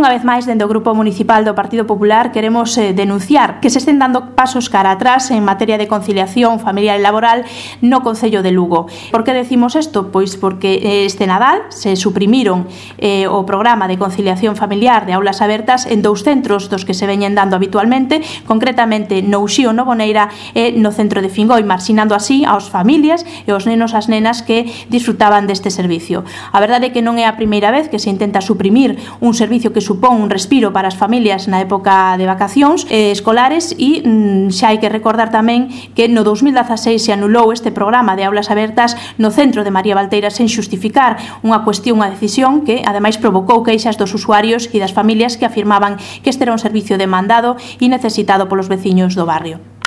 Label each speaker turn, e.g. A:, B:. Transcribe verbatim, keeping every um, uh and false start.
A: Unha vez máis, dende o Grupo Municipal do Partido Popular, queremos eh, denunciar que se estén dando pasos cara atrás en materia de conciliación familiar e laboral no Concello de Lugo. Por que decimos isto? Pois porque este Nadal se suprimiron eh, o programa de conciliación familiar de aulas abertas en dous centros dos que se veñen dando habitualmente, concretamente no Uxío Novoneira e no centro de Fingoi, marxinando así aos familias e aos nenos as nenas que disfrutaban deste servicio. A verdade é que non é a primeira vez que se intenta suprimir un servicio que supón un respiro para as familias na época de vacacións eh, escolares e mm, xa hai que recordar tamén que no dous mil dezaseis se anulou este programa de aulas abertas no centro de María Valteira sen xustificar unha cuestión, unha decisión que ademais provocou queixas dos usuarios e das familias que afirmaban que este era un servicio demandado e necesitado polos veciños do barrio.